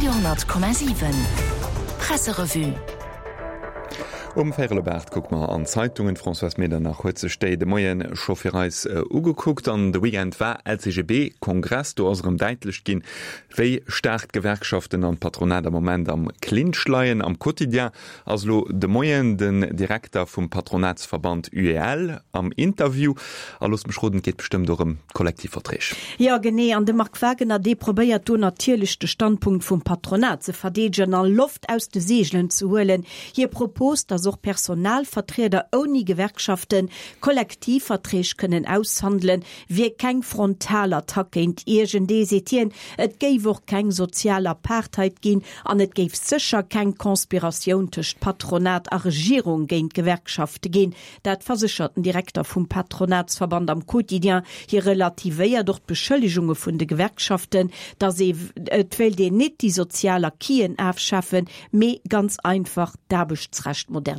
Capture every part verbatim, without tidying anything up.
Radio honnert Komma siwen Presserevue. Um véierel op aacht kucke mer an d'Zeitungen. D'Françoise Medernach huet sech déi de Moien scho fir eis ugekuckt. An de Weekend war L C G B Kongress. Do ass erëm däitlech ginn, wéi staark d'Gewerkschaften an d'Patronat am Moment am Clinch leien. Am Quotidien ass elo de Moien den Direkter vum Patronatsverband U E L am Interview. A looss mech roden, et geet bestëmmt och ëm d'Kollektivverträg. Jo, genee. An de Marc Wagener, dee probéiert do natierlech de Standpunkt vum Patronat ze verdeedegen a Loft aus de Seegelen ze huelen. Hie propost, dass och Personalvertrieder ouni Gewerkschaften Kollektivverträg kënnen aushandelen, wier keng Frontalattack géint iergendee, seet hien. Et géif och keng sozial Apartheid ginn an et géif sécher keng Konspiratioun tëscht Patronat a Regierung géint d'Gewerkschafte ginn. Dat verséchert den Direkter vum Patronatsverband am Quotidien. Hie relativéiert och d'Beschëllegunge vun de Gewerkschaften, dass ee et wéilt een net déi sozial Acquisen afschafen, mee ganz einfach d'Aarbechtsrecht moderniséieren.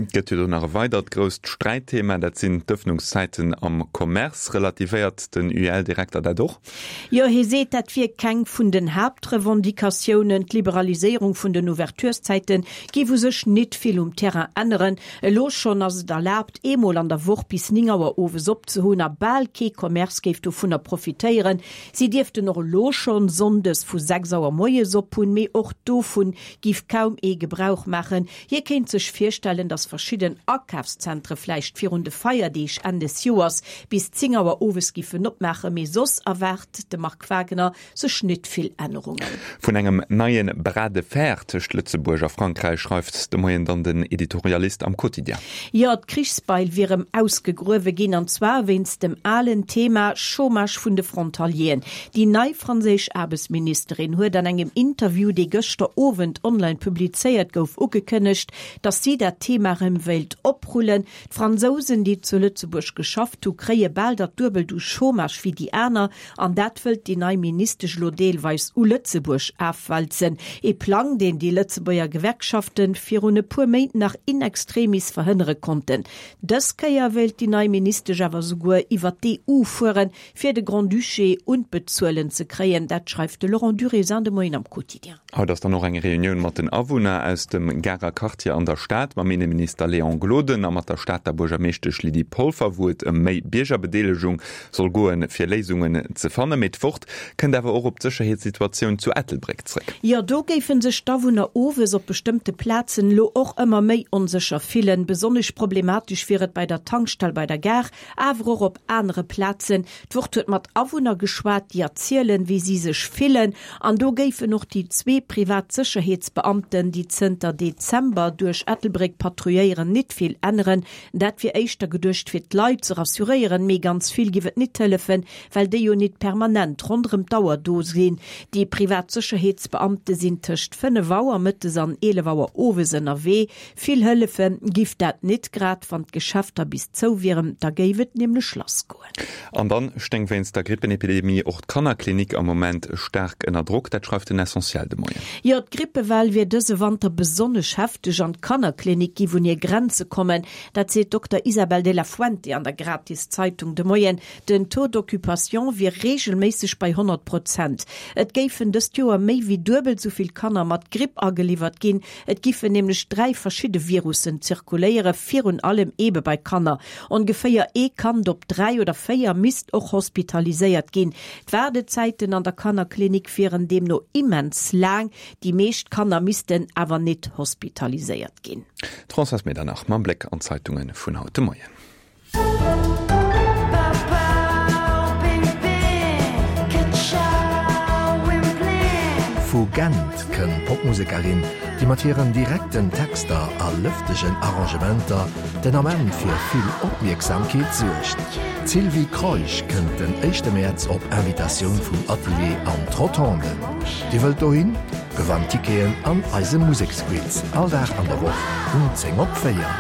Et gëtt jo do nach e weidert grousst Sträitthema, dat sinn d'Ëffnungszäiten am Commerce. Relativéiert den U E L-Direkter dat och? Jo, hie seet, dat wier keng vun den Haaptrevendicatiounen. D'Liberaliséierung vun den Ouvertureszäite géif u sech net vill um Terrain änneren. Elo schonn ass et erlaabt, eemol an der Woch bis néng Auer owes op ze hunn a bal kee Commerce géif dovunner profitéieren. Si dierften och elo schonn sonndes vu sechs Auer moies op hunn, mee och dovun géif kaum ee Gebrauch maachen. Hie kéint sech virstellen, dass verschidden Akafszentre vläicht virun de Feierdeeg Enn des Joers bis zéng Auer owes giffen opmaachen, mee soss erwaart de Marc Wagener sech net vill Ännerungen. Vun engem neie Bras de fer tëscht Lëtzebuerg a Frankräich schreift de Moien dann den Editorialist am Quotidien. Jo, d'Krichsbeil wier erëm ausgegruewe ginn, an zwar wéinst dem alen Thema Chômage vun de Frontalieren. Déi nei franséisch Aarbechtsministerin huet an engem Interview, dee gëschter Owend online publizéiert gouf, ugekënnegt, datt si dat Thema erëm wéilt oprullen. D'Fransousen, déi zu Lëtzebuerg geschafft hu, kréie bal dat Duebelt u Chômage wéi déi aner, an dat wëllt déi nei Ministesch elo deelweis u Lëtzebuerg afwälzen. Ee Plang, deen déi Lëtzebuerger Gewerkschafte virun e puer Méint nach in extremis verhënnere konnten. Dës Kéier wéilt déi nei Ministesch awer souguer iwwer d'E U fueren, fir de Grand-Duché un d'Bezuelen ze kréien. Dat schreift de Laurent Durézin de Moien am Quotidien. Haut ass dann och eng Reunioun mat den Awunner aus dem Garer Quartier an der Stad, mam Inneminister Léon Gloden a mat der Stater Buergermeeschtesch Lydie Polfer, wou et ëm méi Biergerbedeelegung soll goen, fir Léisungen ze fannen. Mee d'Wort kënnt awer och op d'Sécherheetssituatioun zu Ettelbréck zréck. Jo, do géife sech d'Awunner owes op bestëmmte Plazen elo och ëmmer méi onsécher fillen. Besonnesch problematesch wier et bei der Tankstell bei der Gare, awer och op anere Plazen. D'Wort huet mat Awunner geschwat, déi erzielen, wéi si sech fillen. An do géifen och déi zwee privat Sécherheetsbeamten, déi zënter Dezember duerch Ettelbréck patrouilléieren, nit vill änneren. Dat wier éischter geduecht, fir d'Leit ze rassuréieren, mee ganz vill géif et nit hëllefen, well déi jo nit permanent ronderëm d'Auer do sinn. Déi privat Sécherheetsbeamte sinn tëscht fënnef Auer mëttes an eelef Auer owes ënnerwee. Vill hëllefe giff dat nit, grad wann d'Geschäfter bis zou wieren, da géif et nämlech lass goen. An dann stéing wéinst der Grippenepidemie och d'Kannerklinik am Moment staark ënner Drock, dat schreift den Essentiel de Moien. Jo, d'Grippewell wier dëse Wanter besonnesch hefteg an d'Kannerklinik giff un hir Grenze kommen. Dat seet Dokter Isabel de la Fuente an der Gratiszeitung de Moien. Den Taux d'occupation wier reegelméisseg bei honnert Prozent. Et géifen dëst Joer méi wéi duebel sou vill Kanner mat Gripp ageliwwert ginn. Et giffen nämlech dräi verschidde Virussen zirkuléieren, virun allem ebe bei Kanner. Ongeféier ee Kand op dräi oder véier misst och hospitaliséiert ginn. D'Waardezäiten an der Kannerklinik wieren deemno immens laang. Déi meescht Kanner missten awer net hospitaliséiert ginn. D'Françoise Medernach mam Bléck an d'Zeitunge vun haut de Moien. Vu Gent kënnt d'Popmusekerin, déi mat hiren direkten Texter a lëftegen Arrangementer den Ament fir vill Opmierksamkeet suergt. D'Sylvie Kreusch kënnt den éischte Mäerz op Invitatioun vum Atelier an d'Rotonden. Dir wëllt dohin? Gewannt Ticketen an eisem Museksquiz all Dag an der Woch um zéng op véier.